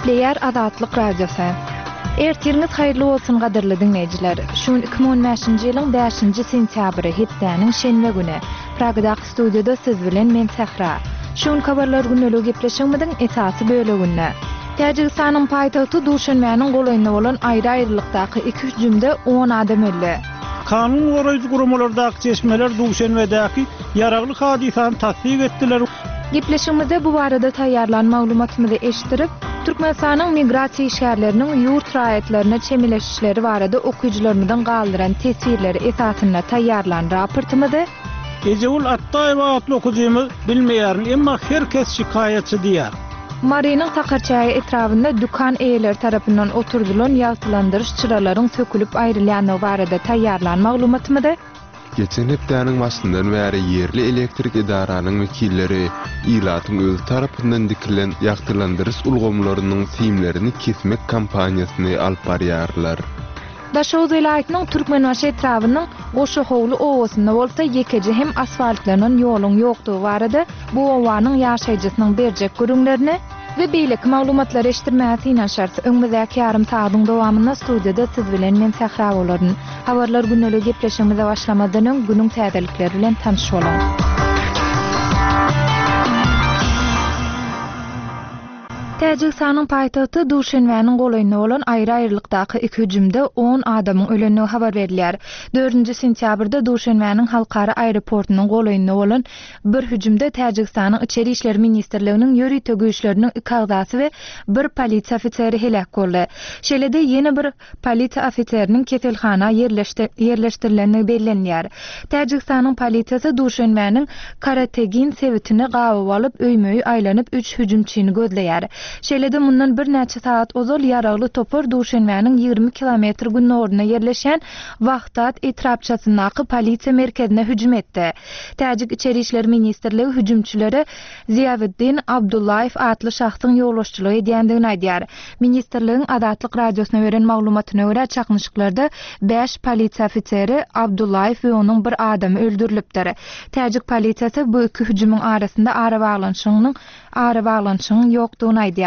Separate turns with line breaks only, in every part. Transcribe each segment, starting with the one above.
Gepleýär Azatlyk Radiosy. Ertiriňiz haýyrly bolsun gadyrly diňleýjiler. Şu gün 2015-nji ýylyň bäşinji sentýabry, hepdäniň şenbe güni. Pragadaky studiýada siz bilen men Sähra. Şu günki habarlar gündeligi gepleşigimiziň esasy böleginde. Täjigistanyň paýtagty Duşenbäniň golaýynda bolan aýry-aýrylykdaky iki hüjümde on adam öldi.
Kanun goraýjy guramalardaky çeşmeler Duşenbedäki ýaragly hadysany tassyk etdiler.
Gepleşigimizde bu barada taýýarlan maglumatymyzy eşitdirip, Türkmenistanyň migrasiýa işgärleriniň ýurt raýatlaryna çemeleşişleri barada okyjylarymyzyň galdyran teswirleri esasynda taýýarlan raportymyzy,
Ejegül Atdaýewa atly okyjymyz Bilmeýärin, emma her kes şikaýatçy diýýär.
Marynyň Sakarçäge etrabynda dükan eýeleri tarapyndan oturdylan ýagtylandyryş çyralaryň sökülip aýrylýandygy barada taýýarlan maglumatymyzy,
Geçen hepdäniň başyndan bäri ýerli elektrik edaranyň wekilleri ilatyň özi tarapyndan dikilen ýagtylandyryş ulgamlarynyň simlerini kesmek kampaniýasyny alyp barýarlar.
Daşoguz welaýatynyň Türkmenbaşy etrabynyň Goşahowly obasynda bolsa ýekeje hem asfaltlanan ýoluň ýokdugy barada bu obanyň ýaşaýjysynyň berjek gürrüňlerini we beýleki maglumatlary eşitdirmäge synanyşarys. Öňümizdäki ýarym sagadyň dowamynda studiýada siz bilen men Sähra bolaryn. Habarlar gündeligi gepleşigimize başlamazdan öň günüň täzelikleri bilen tanyş boluň. Täjigistanyň paýtagty Duşenbäniň golaýynda bolan aýry-aýrylykdaky iki hüjümde on adamyň ölendigi habar berilýär. Dördünji sentýabrda Duşenbäniň halkara aeroportunyň golaýynda bolan bir hüjümde Täjigistanyň Içeri işler ministrliginiň ýörite güýçleriniň iki agzasy we bir polisiýa ofiseri heläk boldy. Şeýle-de ýene bir Polisiýa ofiseriniň keselhana ýerleşdirilendigi bellenilýär. Täjigistanyň polisiýasy Duşenbäniň Karategin sebitini gabawa alyp, öýme-öý aýlanyp, üç hüjümçini gözleýär. Şeýle-de mundan birnäçe sagat ozal ýaragly topar Duşenbäniň 20 kilometr gündogarynda ýerleşýän Wahdat etrapçasyndaky polisiýa merkezine hüjüm etdi. Täjik Içeri işler ministrligi hüjümçilere Ziýawiddin Abdullaýew atly şahsyň ýolbaşçylyk edýändigini aýdýar. Ministrligiň Azatlyk Radiosyna beren maglumatyna görä, çaknyşyklarda bäş polisiýa ofiseri, Abdullaýew we onuň bir adamy öldürilipdir. Täjik polisiýasy bu iki hüjümiň arasynda arabaglanyşygynyň arabaglanyşygyň ýokdugyny aýdýar.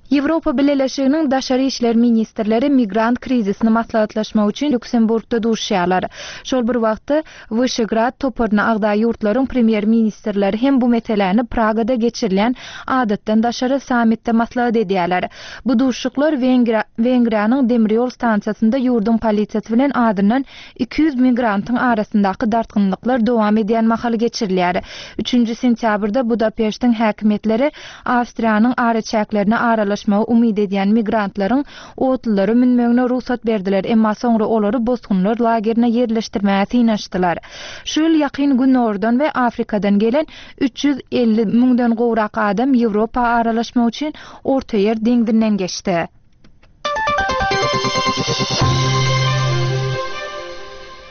Ýewropa Bileleşiginiň daşary işler ministrleri migrant krizisini maslahatlaşmak üçin Lýuksemburgda duşuşýarlar. Şol bir wagtda, Wyşegrad toparyna agza ýurtlaryň premýer-ministrleri hem bu meseläni Pragada geçirilýän adatdan daşary sammitde maslahat edýärler. Bu duşuşyklar Wengriýanyň demirýol stansiýasynda ýurduň polisiýasy bilen azyndan 200 migrantyň arasyndaky dartgynlyklar dowam edýän mahaly geçirilýär. Üçünji sentýabrda Budapeştiň häkimiýetleri Awstriýanyň araçäklerine aralaşmagy umyt edýän migrantlaryň otlulara münmegine rugsat berdiler, emma soňra olary bosgunlar lagerine ýerleşdirmäge synanyşdylar. Şu ýyl Ýakyn Gündogardan we Afrikadan gelen 350 müňden gowrak adam Ýewropa aralaşmak üçin Ortaýer deňzinden geçdi.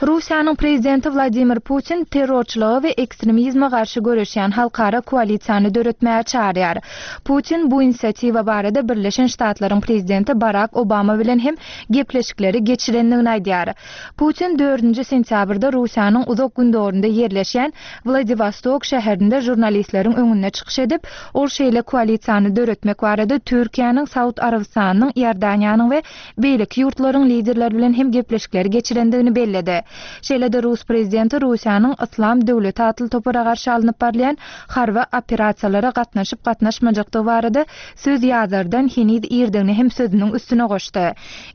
Russiýanyň prezidenti Wladimir Putin terrorçylyga we ekstremizme garşy göreşýän halkara koalisiýany döretmäge çagyrýar. Putin bu inisiatiwa barada Birleşen Ştatlaryň prezidenti Barak Obama bilen hem gepleşikleri geçirendigini aýdýar. Putin dördünji sentýabrda Russiýanyň Uzak Gündogarynda ýerleşýän Wladiwostok şäherinde žurnalistleriň öňünde çykyş edip, ol şeýle koalisiýany döretmek barada Türkiýäniň, Saud Arabystanynyň, Iordaniýanyň we beýleki ýurtlaryň liderleri bilen hem gepleşikleri geçirendigini belledi. Şeýle-de rus prezidenti Russiýanyň Yslam döwleti atly topara garşy alnyp barylýan harby operasiýalara gatnaşyp-gatnaşmajakdygy barada söz ýazardan heniz irdigini hem sözüniň üstüne goşdy.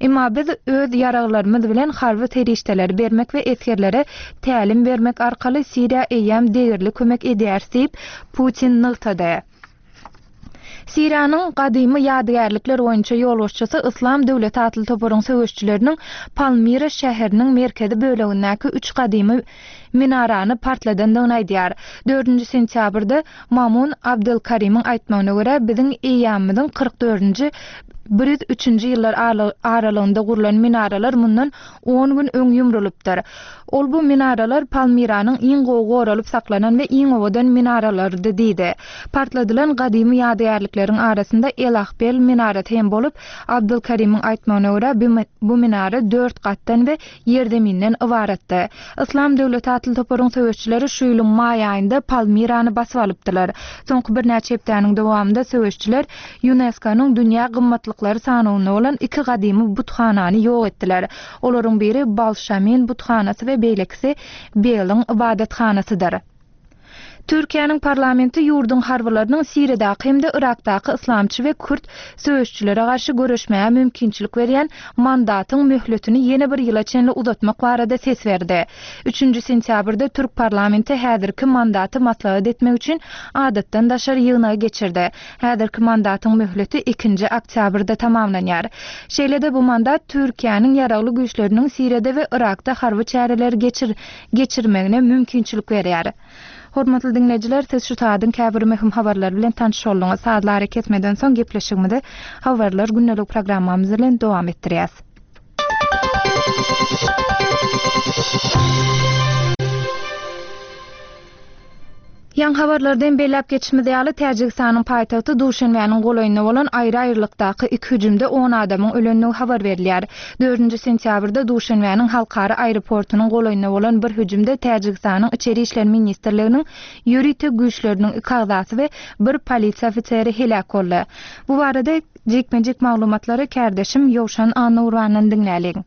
Emma biz öz ýaraglarymyz bilen harby serişdeleri bermek we esgerlere tälim bermek arkaly Siriýa eýýäm degerli kömek edýäris diýip, Putin nygtady. Siriýanyň gadymy ýadygärlikler boýunça ýolbaşçysy Yslam döwleti atly toparyň söweşijileriniň Palmira şäheriniň merkezi bölegindäki üç gadymy minarany partladandygyny aýdýar. Dördünji sentýabrda Mamun Abdelkarimiň aýtmagyna görä, biziň eýýamymyzyň 44-nji. 103-nji ýyllar aralygynda gurlan minaralar mundan on gün öň ýumrulypdyr. Ol bu minaralar Palmiranyň iň gowy goralyp saklanan we iň owadan minaralarydy diýdi. Partladylan gadymy ýadygärlikleriň arasynda El-Ahbel minarasy hem bolup, Abdulkarimiň aýtmagyna görä, bu minara dört gatdan we ýerzeminden ybaratdy. Yslam döwleti atly toparyň söweşçileri şu ýylyň maý aýynda Palmirany basyp alypdylar. Soňky birnäçe hepdäniň dowamynda söweşçiler ÝUNESKO-nyň dünýä gymmatlyklary sanawynda bolan iki gadymy buthanany ýok etdiler. Olaryň biri Balşamin buthanasy we beýlekisi Beliň ybadathanasydyr. Türkiýäniň parlamenti ýurduň harbylarynyň Siriýadaky hem-de Yrakdaky yslamçy we kürt söweşçilere garşy göreşmäge mümkinçilik berýän mandatyň möhletini ýene bir ýyla çenli uzatmak barada ses berdi. Üçünji sentýabrda türk parlamenti häzirki mandaty maslahat etmek üçin adatdan daşary ýygnagy geçirdi. Häzirki mandatyň möhleti ikinji oktýabrda tamamlanýar. Şeýle-de bu mandat Türkiýäniň ýaragly güýçleriniň Siriýada we Yrakda harby çäreleri geçir geçirmegine mümkinçilik berýär. Hormatly diňleýjiler, siz şu saadyň käbir möhüm habarlary bilen tanyş bolduňyz. Sazly arakesmeden soň gepleşigimizi Habarlar gündelik programmamyz bilen dowam etdirýäs. Ýaňy habarlarda hem belläp geçişimiz ýaly, Täjigistanyň paýtagty Duşenbäniň golaýynda bolan aýry-aýrylykdaky iki hüjümde on adamyň ölendigi habar berilýär. Dördünji sentýabrda Duşenbäniň halkara aeroportunyň golaýynda bolan bir hüjümde Täjigistanyň Içeri işler ministrliginiň ýörite güýçleriniň iki agzasy we bir polisiýa ofiseri heläk boldy. Bu barada jikme-jik maglumatlary kärdeşim Ýowşan Annagurbandan diňläliň.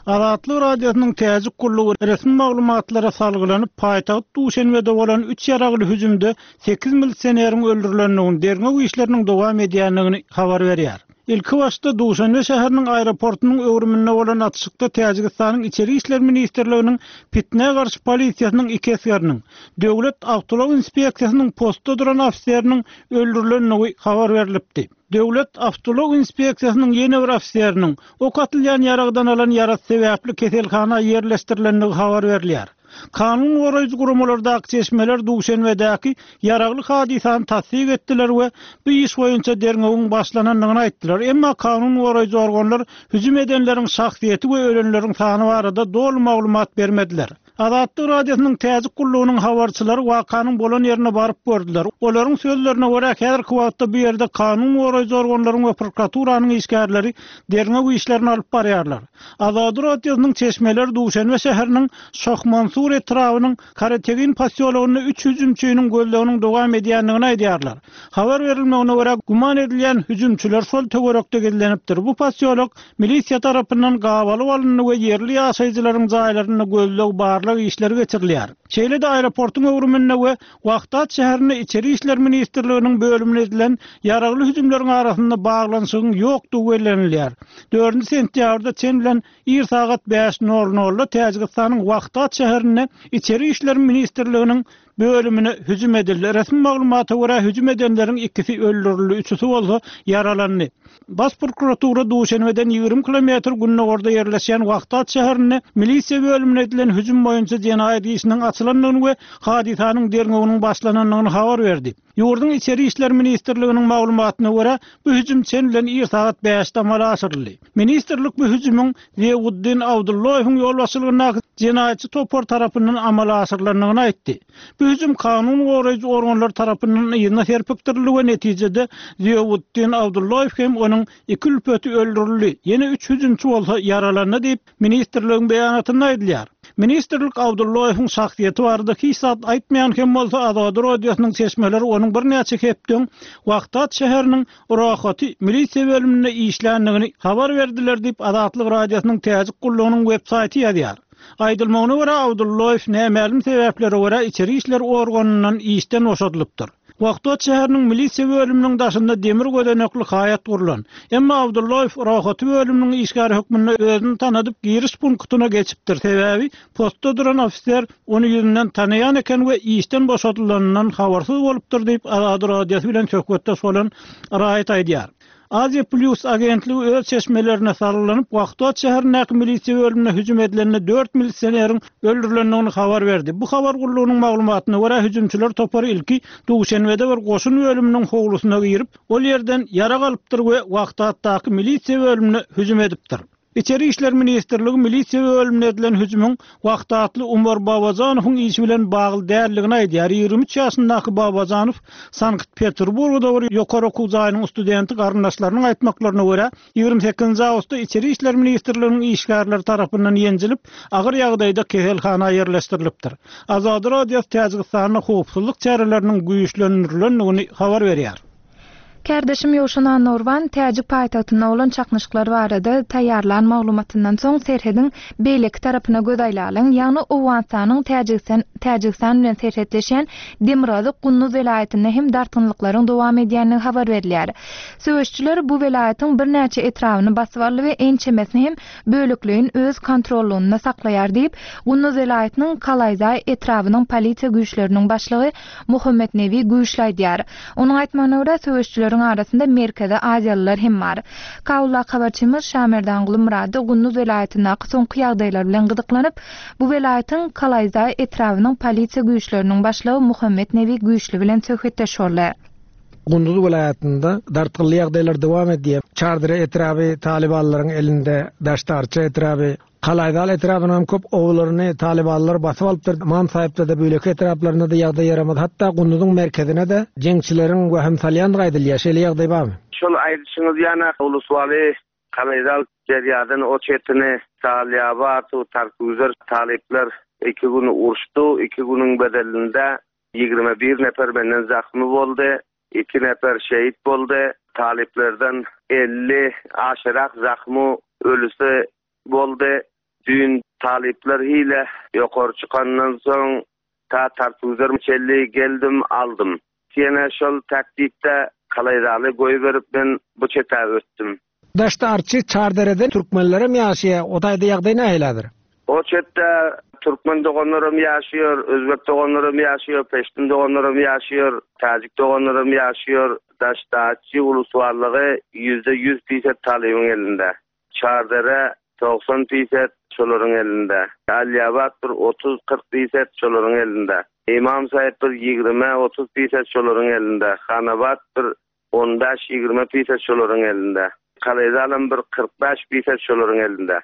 Azatlyk Radiosynyň Täjik gullugy resmi maglumatlara salgylanyp, paýtagt Duşenbede bolan üç ýaragly hüjümde sekiz milisioneriň öldürilendigini, derňew işleriniň dowam edýändigini habar berýär. Ilkibaşda Duşenbe şäheriniň aeroportunyň öwrüminde bolan atyşykda Täjigistanyň Içeri işler ministrliginiň pitnä garşy polisiýasynyň iki esgeriniň, Döwlet awtoulag inspeksiýasynyň postda duran ofiseriniň öldürilendigi habar berlipdi. Döwlet awtoulag inspeksiýasynyň ýene bir ofiseriniň ok atylýan ýaragdan alan ýarasy sebäpli keselhana ýerleşdirilendigi habar berilýär. Kanun goraýjy guramalardaky çeşmeler Duşenbedäki ýaragly hadysany tassyk etdiler we bu iş boýunça derňewiň başlanandygyny aýtdylar. Emma kanun goraýjy organlar hüjüm edenleriň şahsyýeti we ölenleriň sany barada doly maglumat bermediler. Azatlyk Radiosynyň Täjik gullugynyň habarçylary wakanyň bolan ýerine baryp gördüler. Olaryň sözlerine görä, häzirki wagtda bu ýerde kanun goraýjy organlaryň we prokuraturanyň işgärleri derňew işlerini alyp barýarlar. Azady Radiosynyň çeşmeleri Duşenbe şäheriniň Şohmansur etrabynyň Karategin posýologynda üç hüjümçiniň gözleginiň dowam edýändigini aýdýarlar. Habar berilmegine görä, güman edilýän hüjümçiler şol töwerekde gizlenipdir. Bu posýolok Milisiýa tarapyndan gabalyp alyndy we ýerli ýaşaýjylaryň jaýlarynda gözleg-barlag işleri geçirilýär. Şeýle-de aeroportuň öwrüminde we Wahdat şäherinde Içeri işler ministrliginiň bölümine edilen ýaragly hüjümleriň arasynda baglanyşygyň ýokdugy bellenilýär. Dördünji sentýabrda çen bilen ir sagat bäş nol nolda Täjigistanyň Wahdat şäherinde Içeri işler ministrliginiň Bölümine hüjüm edildi. Resmi maglumata görä, hüjüm edenleriň ikisi öldürildi, üçüsi bolsa ýaralandy. Baş prokuratura Duşenbeden 20 kilometr gündogarda ýerleşýän Wahdat şäherinde milisiýa bölümine edilen hüjüm boýunça jenaýat işiniň açylandygyny we hadysanyň derňewiniň başlanandygyny habar berdi. Ýurduň Içeri işler ministrliginiň maglumatyna görä, bu hüjüm çen bilen ir sagat bäşde amala aşyryldy. Ministrlik bu hüjümiň Ziýawuddin Abdulloýewiň ýolbaşçylygyndaky jenaýatçy topar tarapyndan amala aşyrylandygyny aýtdy. Bu hüjüm kanun goraýjy organlar tarapyndan yzyna serpikdirildi we netijede Ziýawuddin Abdulloýew hem onuň iki ülpeti öldürildi, ýene üç hüjümçi bolsa ýaralandy diýip, ministrligiň beýanatynda aýdylýar. Ministrlik Abdulloýewiň şahsyýeti barada hiç zat aýtmaýan hem bolsa, Azady Radiosynyň çeşmeleri onuň birnäçe hepde öň Wahdat şäheriniň Rohaty milisiýa bölüminde işländigini habar berdiler diýip, Azatlyk Radiosynyň Täjik gullugynyň web-saýty ýazýar. Aýdylmagyna görä, Abdulloýew nämälim sebäplere görä içeri işler organyndan işden boşadylypdyr. Wahdat şäheriniň milisiýa bölüminiň daşynda demir gözenekli haýat gurlan. Emma Abdulloýew Rohaty bölüminiň işgäri hökmünde özüni tanadyp giriş punktyna geçipdir, sebäbi postda duran ofiser Ony ýüzünden tanaýan eken we işden boşadylanyndan habarsyz bolupdyr diýip, Azady Radiosy bilen söhbetdeş bolan raýat aýdýar. Aziýa Plýus agentligi öz çeşmelerine salgylanyp, Wahdat şäherindäki milisiýa bölümine hüjüm edilende dört milisioneriň öldürilendigini habar berdi. Bu habar gullugynyň maglumatyna görä, hüjümçiler topary ilki Duşenbede bir goşun bölüminiň howlusyna girip, ol ýerden ýarag alypdyr we Wahdatdaky milisiýa bölümine hüjüm edipdir. Içeri işler ministrligi milisiýa bölümine edilen hüjümiň Wahdatly Umar Babajanowyň işi bilen bagly däldigini aýdýar. 23 ýaşyndaky Babajanow Sankt-Peterburgda bir ýokary okuw jaýynyň studenti garyndaşlarynyň aýtmaklaryna görä, 28-nji awgustda Içeri işler ministrliginiň işgärleri tarapyndan ýenjilip, agyr ýagdaýda keselhana ýerleşdirilipdir. Azady Radiosy Täjigistanda howpsuzlyk çäreleriniň güýçlendirilendigini habar berýär.
Kärdeşim Ýowşan Annagurban täjik paýtagtynda bolan çaknyşyklar barada taýýarlan maglumatyndan soň serhediň beýleki tarapyna göz aýlalyň, ýagny Owganystanyň Täjigistan Täjigistan bilen serhetleşýän demirgazyk Gunduz welaýatynda hem dartgynlyklaryň dowam edýändigi habar berilýär. Söweşçiler bu welaýatyň birnäçe etrabyny basyp aldy we ençemesini hem bölekleýin öz kontrollygynda saklaýar diýip, Gunduz welaýatynyň Kalaýzaý etrabynyň polisiýa güýçleriniň başlygy Muhammetnebi güýçli aýdýar. Onuň aýtmagyna görä, söweşçileriň arasynda Merkezi Aziýalylar hem bar. Kabuldaky habarçymyz Şamerdanguly Myrady Gunduz welaýatyndaky soňky ýagdaýlar bilen gyzyklanyp, bu welaýatyň Kalaýzaý etrabynyň polisiýa güýçleriniň başlygy Muhammetnebi Güýçli bilen söhbetdeş boldy.
Gunduz welaýatynda dartgynly ýagdaýlar dowam edýär. Çardere etraby talybanlaryň elinde, Daştarça etraby, Kalaýzal etrabynyň hem köp obalaryny talybanlar basyp alypdyr. Ymam Saýypda-da, beýleki etraplarynda-da ýagdaý ýaramaz. Hatda Gunduzyň merkezine-de jeňçileriň wehim salýandygy aýdylýar. Şeýle ýagdaý barmy?
Şol aýdyşyňyz ýana Uluswaly Kalaýzal derýadan o çetini Salýabat, Tarküzer talyplar iki gün uruşdy. Iki günüň bedelinde 21 nefer menden zahmy boldy. Iki nefer şehit boldy. Talyplardan 50 aşyrak zahmy ölüsi boldy. Düýn talyplar hile ýokary çykandan soň ta Tartuzer çenli geldim, aldym. Ýene şol taktikde Kalaýzaly goýberip men bu çete ötdüm.
Daşda Arçy, Çarderede türkmenlerem ýaşaýar, o taýda ýagdaý nähili häzir?
O çetde türkmen doganlarym ýaşaýar, özbek doganlarym ýaşaýar, peştun doganlarym ýaşaýar, täjik doganlarym ýaşaýar. Daşda Arçy ulusbarlygy 100% piset talybyň elinde. Çardere 90 piset şolaryň elinde. Alýabat bir 30-40 piset şolaryň elinde. Imam Saýyp bir 20-30 piset şolaryň elinde. Hanabat bir On bäş-ýigrimi piset şolaryň elinde. Kalezalam bir 45 piset şolaryň elinde.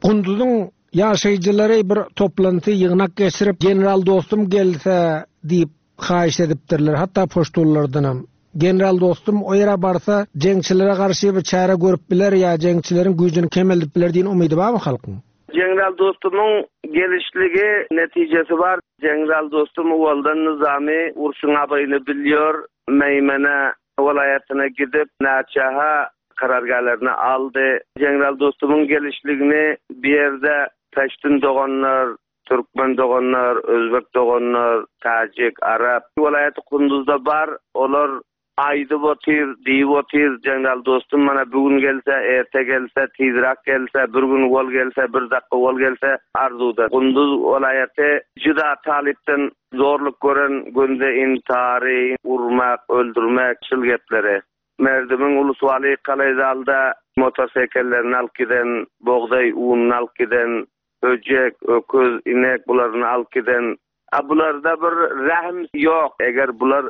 Gunduzyň ýaşaýjylary bir toplanty, ýygnak geçirip, General Dostum gelse diýip haýyşt edipdirler, hatda poştunlardanam. General Dostum o ýere barsa, jeňçilere garşy bir çäre görüp biler ýa jeňçileriň güýjüni kemeldip biler diýen umydy barmy halkyň?
General Dostumyň gelişligi netijesi bar. General Dostum owaldan nyzamy urşuň abyny bilýär. Meýmene welaýatyna gidip, näçe-ha karargälerini aldy. General Dostumyň gelişligini bu ýerde peştun doganlar, türkmen doganlar, özbek doganlar, täjik, arap welaýaty Kunduzda bar. Olar Aýdyp otyr, diýip otyr, General Dostum mana bu gün gelse, erte gelse, tizrak gelse, bir gün owal gelse, bir dakga owal gelse arzuwda. Gunduz welaýaty juda talypdan zorluk gören günde intary, urmak, öldürmek şul gepleri. Merdimiň Uluswaly Kalaýzalda motosekellerini alyp giden, bogdaý ununy alyp giden, höjek, öküz, inek bularyny alyp giden A bularda bir rähm ýok. Eger bular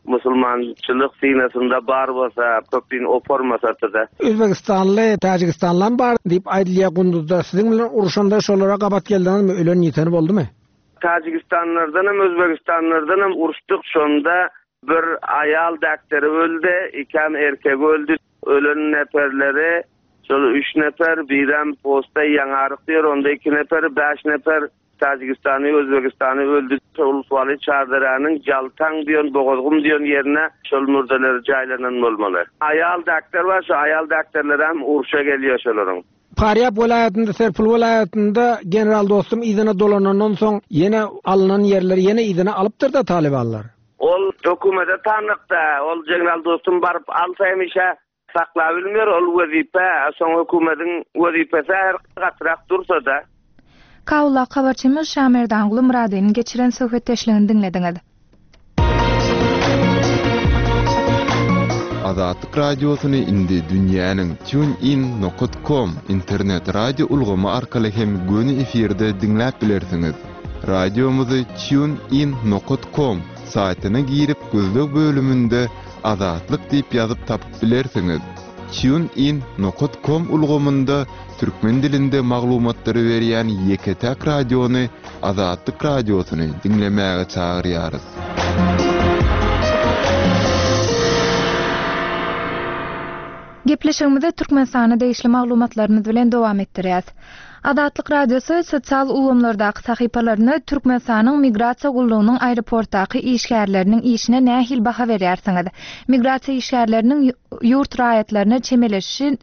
musulmançylyk synasynda bar bolsa, köpin opormasatda.
Özbegistanly, Täjigistanlam bar diýip aýdylýar Gunduzda. Siziň bilen urşanda şolara gabat geldiňizmi? Ölen ýiteni boldumy?
Täjigistanlardanam, Özbegistanlardanam uruşdyk. Şonda Bir aýal däkderi öldi, ikäm erkegi öldi. Ölen neperleri şol üç neper, birem posta ýaňaryk diýer, onda iki neper, bäş neper Täjigistany, Özbegistany öldi. Uluswaly Çarderäniň Jaltaň diýen, Bogazgum diýen ýerine şol mürdeleri jaýlanan bolmaly. Aýal däkder bar, şo aýal däkderlerem urşa gelýär şolaryň.
Farýap welaýatynda, Serpil welaýatynda general Dostum yzyna dolanandan soň ýene alnan ýerleri ýene yzyna alypdyr-da talybanlar.
Ol hökümete tanykda, ol general Dostum baryp alsa hemişe saklabilmer ol wezipe, soň hökümediň wezipesi her gatyrak dursa-da.
Kabuldaky habarçymyz Şamerdanguly Myradynyň geçiren söhbetdeşligini diňlediňiz.
Azatlyk Radiosyny indi dünýäniň TuneIn nokat com internet radio ulgamy arkaly hem göni efirde diňläp bilersiňiz. Radiomyzy TuneIn nokat com saýtyna girip gözleg bölüminde Azatlyk diýip ýazyp tapyp bilersiňiz. TuneIn nokat com ulgamynda türkmen dilinde maglumatlary berýän ýeke-täk radiony Azatlyk Radiosyny diňlemäge çagyrýarys.
Gepleşigimizi Türkmenistana degişli maglumatlarymyz bilen dowam etdirýäs. Azatlyk Radiosy sosial ulgamlardaky sahypalarynda Türkmenistanyň Migrasiýa gullugynyň aeroportdaky işgärleriniň işine nähili baha berýärsiňiz? Migrasiýa işgärleriniň ýurt raýatlaryna çemeleşişi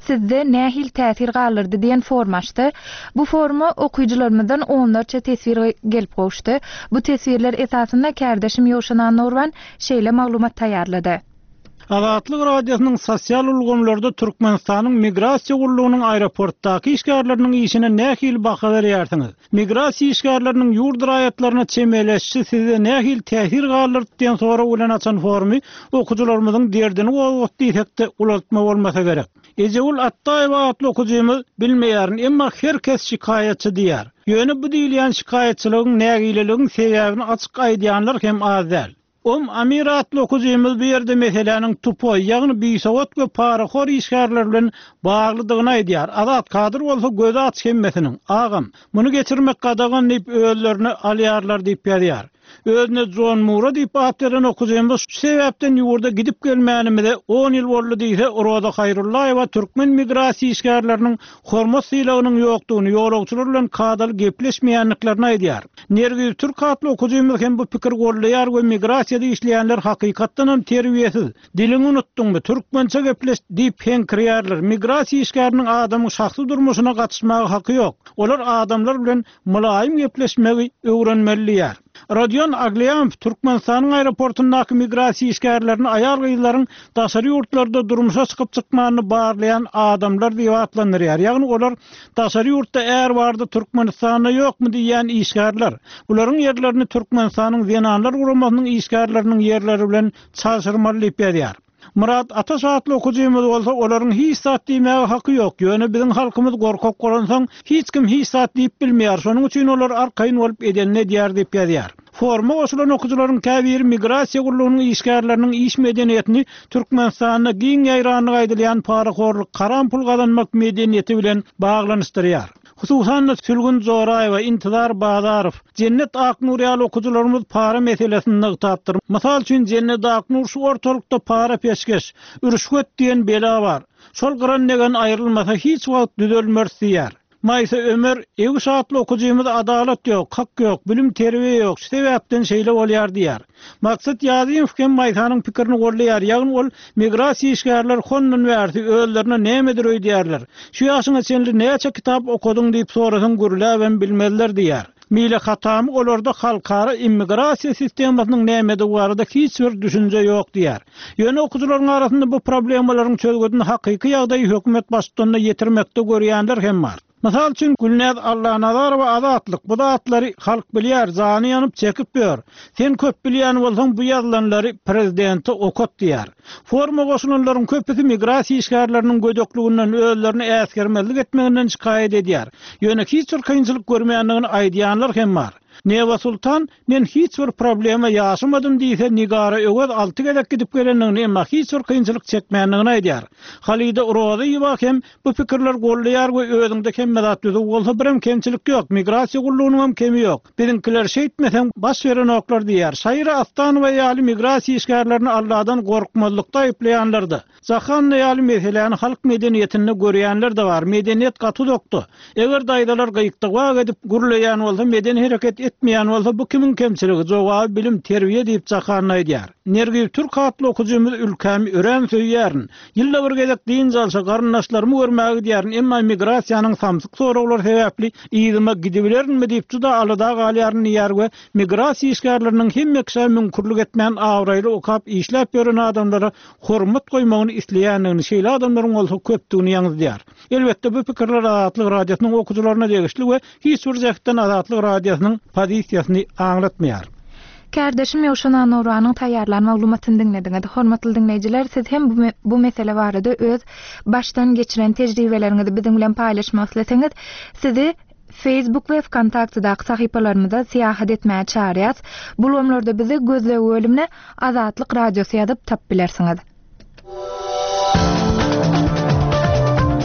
sizde nähili täsir galdyrdy diýen forma açdy. Bu foruma okyjylarymyzdan onlarça teswir gelip gowuşdy. Bu teswirler esasynda kärdeşim Ýowşan Annagurban şeýle maglumat taýýarlady.
Azatlyk Radiosynyň sosial ulgamlarda Türkmenistanyň Migrasiýa gullugynyň aeroportdaky işgärleriniň işine nähili baha berýärsiňiz? Migrasiýa işgärleriniň ýurt raýatlaryna çemeleşişi sizde nähili täsir galdyrdy diýen sorag bilen açan forumy okyjylarymyzyň derdini gozgatdy diýsek-de ulaltma bolmasa gerek. Ejegül Atdaýewa atly okyjymyz Bilmeýärin, emma her kes şikaýatçy diýýär. Ýöne bu diýilýän şikaýatçylygyň, nägileligiň sebäbini açyk aýdýanlar hem az däl. Om Amir atly okyjymyz bu ýerde meseläniň tupoý, ýagny bisowat we parahor işgärler bilen baglydygyny aýdýar. Azat Kadyr bolsa gözi aç hemmesiniň. Agam, muny geçirmek gadagan diýip özlerine alýarlar diýip ýazýar. Özüne Jon Mura diýip at beren okyjymyz şu sebäpden ýurda gidip gelmänimize on ýyl boldy diýse, Roza Haýrullaýewa türkmen migrasiýa işgärleriniň hormat-sylagynyň ýokdugyny, ýolagçylar bilen kadaly gepleşmeýändiklerini aýdýar. Nergiz Türk atly okyjymyz hem bu pikiri goldaýar we migrasiýada işleýänler hakykatdanam terbiýesiz, diliňi unutdyňmy, türkmençe gepleş diýip heňkirýärler, migrasiýa işgäriniň adamyň şahsy durmuşyna gatyşmaga haky ýok, olar adamlar bilen mylaýym gepleşmegi öwrenmeli diýýär. Rodion Aglýamow Türkmenistanyň aeroportyndaky migrasiýa işgärlerini aýal-gyzlaryň daşary ýurtlarda durmuşa çykyp-çykmanyny barlaýan adamlar diýip atlandyrýar. Ýagny olar daşary ýurtda är bardy, Türkmenistanda ýokmy diýýän işgärler. Bularyň ýerlerini Türkmenistanyň Zenanlar guramasynyň işgärleriniň ýerleri bilen çalşyrmaly diýip ýazýar. Myrat Ataş atly okyjymyz bolsa olaryň hiç zat diýmäge haky ýok, ýöne biziň halkymyz gorkak bolansoň hiç kim hiç zat diýip bilmeýär, şonuň üçin olar arkaýyn bolup edenini edýär diýip ýazýar. Foruma goşulan okyjylaryň käbiri migrasiýa gullugynyň işgärleriniň iş medeniýetini Türkmenistanda giň ýaýrandygy aýdylýan parahorluk, haram pul gazanmak medeniýeti bilen baglanyşdyrýar. Hususan-da, Sülgün Joraýewa, Intizar Bazarow, Jennet Aknur ýaly okyjylarymyz para meselesini nygtapdyr. Mysal üçin, Jennet Aknur şu ortalykda para-peşgeş, rüşwet diýen bela bar. Şol gyran-degen aýrylmasa hiç wagt düzelmeris diýýär. Maýsa Ömer, Ewiş atly okyjymyz adalat ýok, hak ýok, bilim-terbiýe ýok, şu sebäpden şeýle bolýar diýýär. Maksat Ýazymow hem Maýsanyň pikirini goldaýar, ýagny ol migrasiýa işgärleri hondan bärsi özlerine nämedir öýdýärler. Şu ýaşyňa çenli näçe kitap okadyň diýip sorasaň gürläbem bilmezler diýýär. Mile Hatamy olarda halkara immigrasiýa sistemasynyň nämedigi barada hiç bir düşünje ýok diýýär. Ýöne okyjylaryň arasynda bu problemalaryň çözgüdini hakyky ýagdaýy hökümet baştutanyna ýetirmekde görýänler hem bar. Mysal üçin, Gülnäz Allanazarowa Azatlyk, bu zatlary halk bilýär, jany ýanyp çekip ýör. Sen köp bilýän bolsaň bu ýazylanlary prezidente okat diýýär. Foruma goşulanlaryň köpüsi migrasiýa işgärleriniň gödekliginden, özlerini äsgermezlik etmeginden şikaýat edýär. Ýöne hiç bir kynçylyk görmeýändigini aýdýanlar hem bar. Neba Sultan, Men hiç bir problema ýaşamadym diýse, Nigara Öwez alty gezek gidip gelendigini, emma hiç bir kynçylyk çekmändigini aýdýar. Halida Rozyýewa hem bu pikirleri goldaýar we özüňde hemme zat düzüw bolsa birem kemçilik ýok, migrasiýa gullugynyňam kemi ýok. Biziňkiler şeýtmeseň baş berenoklar diýýär. Şaira Astanowa ýaly migrasiýa işgärlerini Alladan gorkmazlykda aýyplaýanlar-da. Jahanna ýaly meseläni halk medeniýetinde görýänler-de bar. Medeniýet gaty uzakda. Eger daýzalar gyýkdygwak edip gürleýän bolsa, medeni hereket etmeýän bolsa, bu kimiň kemçiligi? Jogaby bilim, terbiýe diýip Jahanna aýdýar. Nergiz Türk atly okyjymyz Ülkämi örän söýýärin. Ýylda bir gezek dynç alşa, garyndaşlarymy görmäge gidýärin, emma migrasiýanyň samsyk soraglary sebäpli yzyma gidibilerinmi diýip juda alada galýaryn diýýär we migrasiýa işgärleriniň hemme kişä müňkürlik etmän abraýly okap işläp ýören adamlara hormat goýmagyny isleýändigini, şeýle adamlaryň bolsa köpdügini ýaňzydýar. Elbetde, bu pikirler Azatlyk Radiosynyň okyjylaryna degişli we hiç bir jähtden Azatlyk Radiosynyň pozisiýasyny aňlatmaýar.
Kärdeşim Ýowşan Annauranyň taýýarlan maglumatyny diňlediňiz. Hormatly diňleýjiler, siz hem bu mesele barada öz başdan geçiren tejribeleriňizi biziň bilen paýlaşmak isleseňiz, sizi Facebook we Wkontaktedaky sahypalarymyza syýahat etmäge çagyrýas. Bu ulgamlarda bizi gözleg bölümine Azatlyk Radiosy ýazyp tapyp bilersiňiz.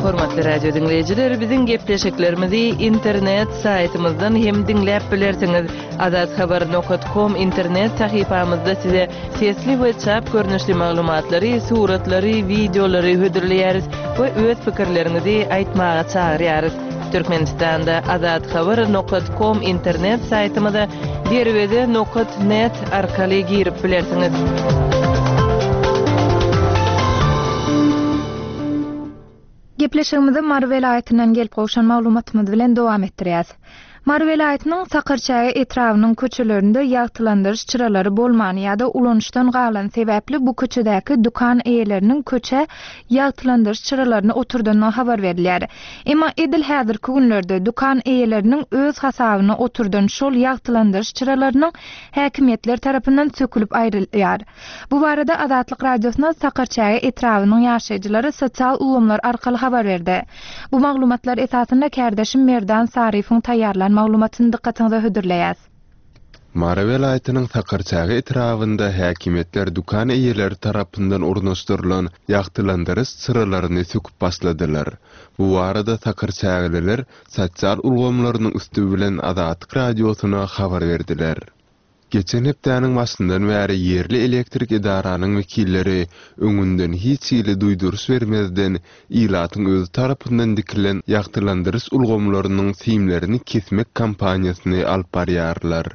Hormatly radio diňleýjiler, biziň gepleşiklerimizi internet saýtymyzdan hem diňläp bilersiňiz. Azathabar nokat kom internet sahypamyzda size sesli we çap görnüşli maglumatlary, suratlary, wideolary hödürleýäris we öz pikirleriňizi aýtmaga çagyrýarys. Türkmenistanda Azathabar nokat kom internet saýtymyza Derweze nokat net arkaly girip bilersiňiz.
Gepleşigimizi Mary welaýatyndan gelip gowşan maglumatymyz bilen dowam etdirýäs. Mary welaýatynyň Sakarçäge etrabynyň köçelerinde ýagtylandyryş çyralary bolmany ýa-da ulanyşdan galany sebäpli bu köçedäki dükan eýeleriniň köçä ýagtylandyryş çyralaryny oturdandygy habar berilýär. Emma edil häzirki günlerde dükan eýeleriniň öz hasabyna oturdan şol ýagtylandyryş çyralarynyň häkimiýetler tarapyndan sökülip aýrylýar. Bu barada Azatlyk Radiosyna Sakarçäge etrabynyň ýaşaýjylary sosial ulgamlar arkaly habar berdi. Bu maglumatlar esasynda kärdeşim Merdan Saryýewiň taýýarlan maglumatyny dykgatyňyza hödürleýäs.
Mary welaýatynyň Sakarçäge etrabynda häkimiýetler dükan eýeleri tarapyndan ornaşdyrylan ýagtylandyryş çyralaryny söküp başladylar. Bu barada sakarçägeliler sosial ulgamlarynyň üsti bilen Azatlyk Radiosyna habar berdiler. Geçen hepdäniň başyndan bäri ýerli elektrik edaranyň wekilleri öňünden hiç hili duýduryş bermezden ilatyň özi tarapyndan dikilen ýagtylandyryş ulgamlarynyň simlerini kesmek kampaniýasyny alyp barýarlar.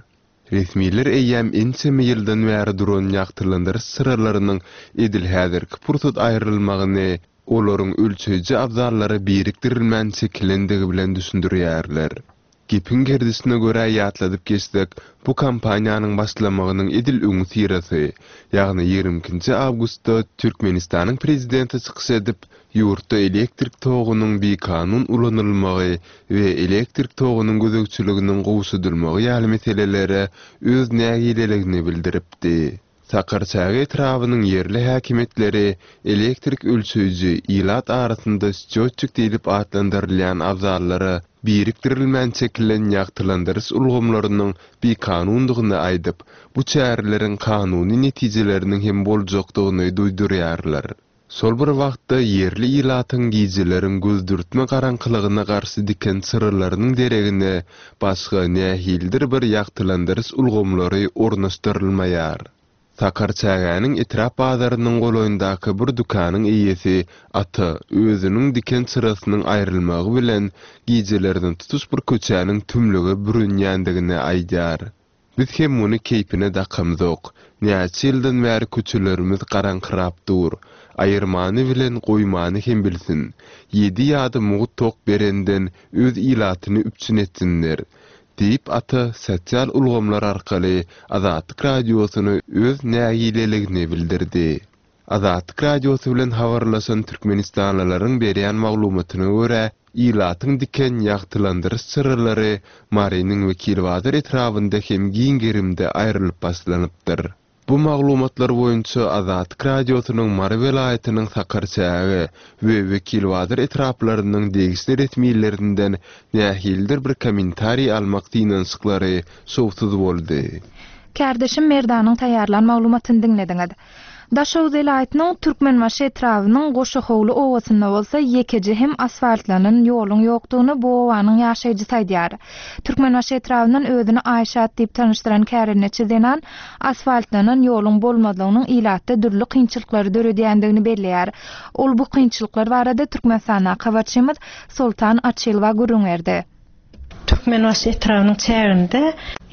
Resmiler eýýäm ençeme ýyldan bäri duran ýagtylandyryş çyralarynyň edil häzirki pursat aýrylmagyny olaryň ölçeýji abzallara birikdirilmän çekilendigi bilen düşündirýärler. Gepiň gerdişine görä ýatladyp geçsek, bu kampaniýanyň başlamagynyň edil öňüsyrasy, ýagny 22 nji awgustda Türkmenistanyň Prezidenti çykyş edip, ýurtda elektrik togunyň bikanun ulanylmagy we elektrik togunyň gözegçiliginiň gowşadylmagy ýaly meselelere öz nägileligini bildiripdi. Sakarçäge etrabynyň ýerli häkimiýetleri elektrik ölçeýji, ilat arasynda sçýotçik diýlip atlandyrylýan abzallara birikdirilmän çekilen ýagtylandyryş ulgamlarynyň bikanundygyny aýdyp, bu çäreleriň kanuny netijeleriniň hem boljakdygyny duýdurýarlar. Şol bir wagtda, ýerli ilatyň gijeleriň gözdürtme garaňkylygyna garşy diken çyralarynyň deregine başga nähilidir bir ýagtylandyryş ulgamlary ornaşdyrylmaýar. Sakarçägäniň etrap bazarynyň golaýyndaky bir dükanyň eýesi Ata özüniň diken çyrasynyň aýrylmagy bilen gijelerine tutuş bir köçäniň tümlüge bürünýändigini aýdýar. Biz hem muny keýpine dakamzok. Näçe ýyldan bäri köçelerimiz garaňkyrap dur. Aýyrmany bilen goýmany hem bilsin. Ýedi ýa-da mugt tok berenden öz ilatyny üpjün etsinler. Diýip, Ata sosial ulgamlar arkaly Azatlyk Radiosyna öz nägileligini bildirdi. Azatlyk Radiosy bilen habarlaşan türkmenistanlylaryň berýän maglumatyna görä, ilatyň diken ýagtylandyryş çyralary Marynyň Wekilbazar etrabynda hem giň gerimde aýrylyp başlanypdyr. Bu maglumatlar boýunça Azatlyk Radiosynyň Mary welaýatynyň Sakarçäge we Wekilbazar etraplarynyň degişli resmilerinden nähilidir bir kommentariý almak synanyşyklary şowsuz boldy.
Kärdeşim Merdanyň taýýarlan maglumatyny diňlediňiz. Daşoguz welaýatynyň Türkmenbaşy etrabynyň Goşahowly obasynda bolsa ýekeje hem asfaltlanan ýoluň ýokdugyny bu obanyň ýaşaýjysy aýdýar. Türkmenbaşy etrabyndan özüni Aýşat diýip tanyşdyran kärendeçi zenan asfaltlanan ýoluň bolmazlygynyň ilatda dürli kynçylyklary döredýändigini belleýär. Ol bu kynçylyklar barada Türkmenistandaky habarçymyz Soltan Açylowa gürrüň berdi.
Türkmenbaşy etrabynyň çäginde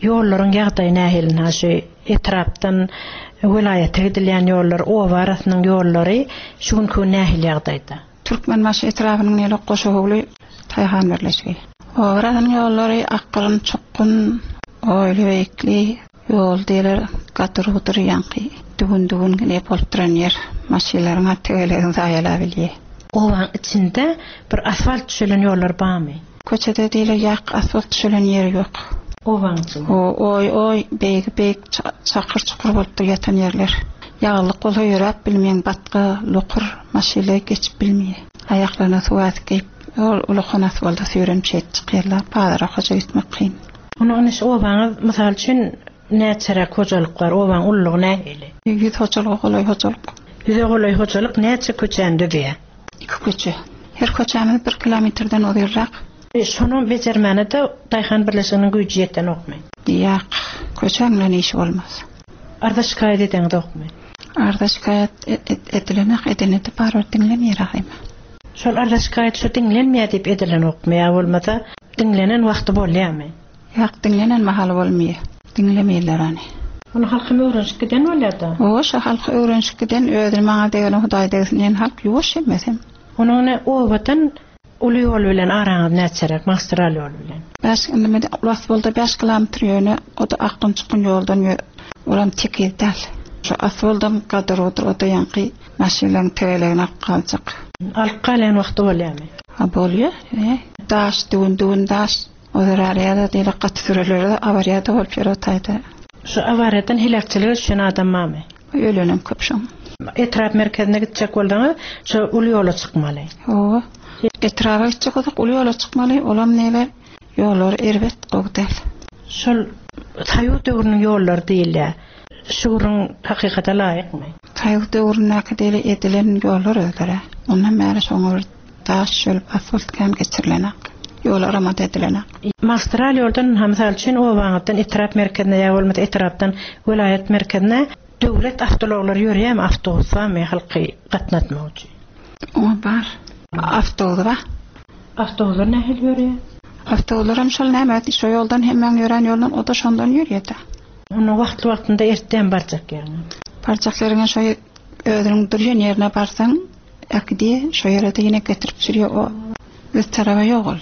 ýollaryň ýagdaýy nähili? Ynha şu etrapdan welaýata gidilýän ýollar, oba arasynyň ýollary şu günki gün nähili ýagdaýda?
Türkmenbaşy etrabynyň Nelok Goşahowly daýhan birleşigi. Oba arasynyň ýollary akgyn, çukgun, oýly-beýikli ýol diýler, gadyr-gudyr ýaňky düwün-düwün gine bolup duran ýer. Maşynlaryň-a tegelegini zaýalabilýär.
Obaň içinde bir asfalt düşelen ýollar barmy?
Köçede diýle ýak asfalt düşelen ýeri ýok.
Obaň içinde.
O, oý, oý, beýigi beýik çakyr-çukur bolupdyr ýatan ýerler. Ýaglyk bolsa ýöräp bilmeýäň, batga, lokur, maşynlar geçip bilmeýär. Aýaklaryna suw ädik geýip, ol ulakan asfalda süýrenip şeýdip çykýarlar. Bazara hoja gitmek kyn.
Onda ine şu obaňyz, mysal üçin, näçeräk hojalyk bar? Obaň ululygy nähili?
Ýüz hojalyga golaý hojalyk.
Ýüze golaý hojalyk näçe köçäni düzýär?
Iki köçe. Her köçämiz bir kilometrden uzynrak.
Şonam bejermäne-de daýhan birleşiginiň güýji ýetenokmy?
Ýak, köçäň bilen işi bolmaz.
Arza-şikaýat edeňzokmy?
Arza-şikaýat edilenak, edene-de barybir diňlemeýär ahyma.
Şol arza-şikaýat şu diňlenmeýär diýip edilenokmy ýa bolmasa diňlenen wagty bolýarmy?
Ýak, diňlenen mahaly bolmaýar. Diňlemeýärler ony.
Ony halkam öwrenişip giden bolýar-da.
Hawa, şo halky öwrenişip giden, özüni maňa degene Hudaý degsin diýen halk ýuwaş hemmesem.
Onuň ine obadan Uly ýol bilen araňyz näçeräk, magistral ýol bilen?
Bäş, indi men asfalda bäş kilometr ýöne o-da akgyn-çukgyn ýoldan ýö, olam tekiz däl. Şo asfaldam gadyr-gudyr, o-da ýaňky maşynlaryň tegelegini alyp galjak.
Alyp galýan wagty bolýamy?
Ha, bolýa, e. Daş, düwün-düwün daş. O zerarly-da diýlek gaty sürelere awariýa-da bolup ýör o taýda.
Şu awariýadan heläkçilige düşen adam barmy?
Ölenem köp şoň.
Etrap merkezine gitjek bolsaňyz şo uly ýola çykmaly.
Hawa. Etraba gitjek bolsak uly ýola çykmaly, olam nele ýollary erbet gowy däl.
Şol soýuz döwrüniň ýollary diýilýär. Şu gürrüň hakykata laýykmy?
Soýuz döwründäki diýeli edilen ýollar özleri. Ondan bäri şoňa bir Daş çölüp asfalt kän geçirilenak. Ýol aramada edilenak.
Magistral ýoldan ynha mysal üçin obaňyzdan etrap merkezine ýa bolmasa etrapdan welaýat merkezine döwlet awtoulaglary ýörýärmi awtobus barmy halky gatnatmak üçin?
Oňa bar. Awtobus bar.
Awtobuslar nähili ýörýär?
Awtobuslaram şol näme şo ýoldan hemmäň ýörän ýoldan o-da şondan ýörýär-dä.
Onda wagtly-wagtynda ertdämi barjak ýeriňe?
Barjak ýeriňe şo özüniň durýan ýerine barsaň Äkidi, şo ýere-de ýene getirip sürýär, o öz taraba ýok ol.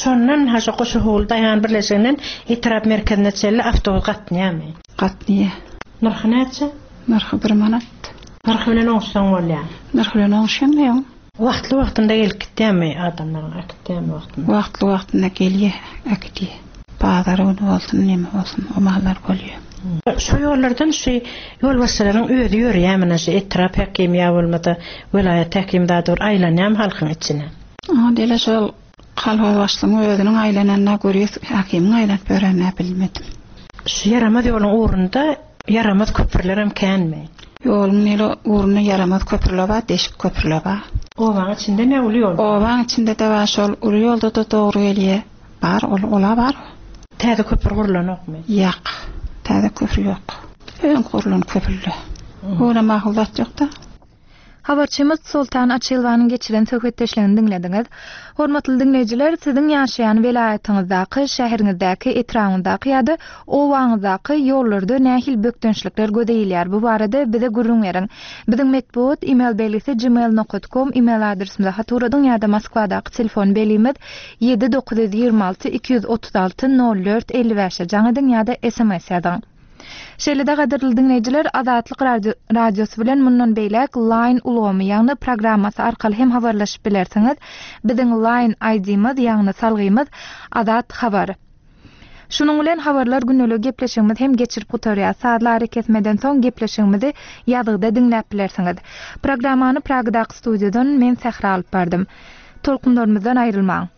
Şondan ha şo Goşahowly daýhan birleşiginden etrap merkezine çenli awtobus gatnaýarmy?
Gatnaýar.
Nyrhy näçe?
Nyrhy bir manat.
Nyrhy bilen oňuşsaň bolýar.
Nyrhy bilen oňuşýaň-da ýoň.
Wagtly-wagtynda gelip gitýärmi adamlaryň, äkitýärmi wagtynda?
Wagtly-wagtynda gelýär, äkidýär. Bazar güni bolsun, neme bolsun, o mahallar bolýar.
Şo ýollardan şu ýolbaşçylaryň özi ýörýärmi, ine şu etrap häkimi ýa bolmasa welaýat häkimi zady bir aýlanýarmy halkyň içine?
Oňa diýle şol kolhoz başlygyň özüniň aýlananyna görýäs, häkimiň aýlanyp ýörenine bilmedim.
Şu ýaramaz ýoluň ugrunda ýaramaz köprülerem känmi?
Ýoluň nile ugrunda ýaramaz köprüler bar, deşik köprüler bar.
Obaň içindemi ýa uly ýolda?
Obaň içinde-de bar, şol uly ýolda-da dogry gelýär. Bar ol ola bar.
Täze köpri gurlanokmy?
Ýak. Täze köpri ýok. Öňki gurlan köprüle. Ola makul zat ýokda.
Habarçymyz Soltan Açylowanyň geçiren söhbetdeşligini diňlediňiz. Hormatly diňleýjiler, siziň ýaşaýan welaýatyňyzdaky, şäheriňizdäki, etrabyňyzdaky ýa-da obaňyzdaky ýollarda nähili bökdençlikler göze ilýär? Bu barada bize gürrüň beriň. Biziň metbugat email belgisi gmail nokat kom email adresimize hat ugradyň ýa-da Moskwadaky telefon belgimiz 7 926 236 04 55-e jaň ediň ýa-da sms ýazyň. Şeýle-de gadyrly diňleýjiler Azatlyk Radiosy bilen mundan beýläk Line ulgamy, ýagny programmasy arkaly hem habarlaşyp bilersiňiz. Biziň Line ID-miz, ýagny salgymyz Azat Habar. Şunuň bilen Habarlar gündeligi gepleşigimizi hem geçirip gutarýas. Sazly arakesmeden soň gepleşigimizi ýazgyda diňläp bilersiňiz. Programmany Pragadaky studiýadan men Sähra alyp bardym. Tolkunlarymyzdan aýrylmaň!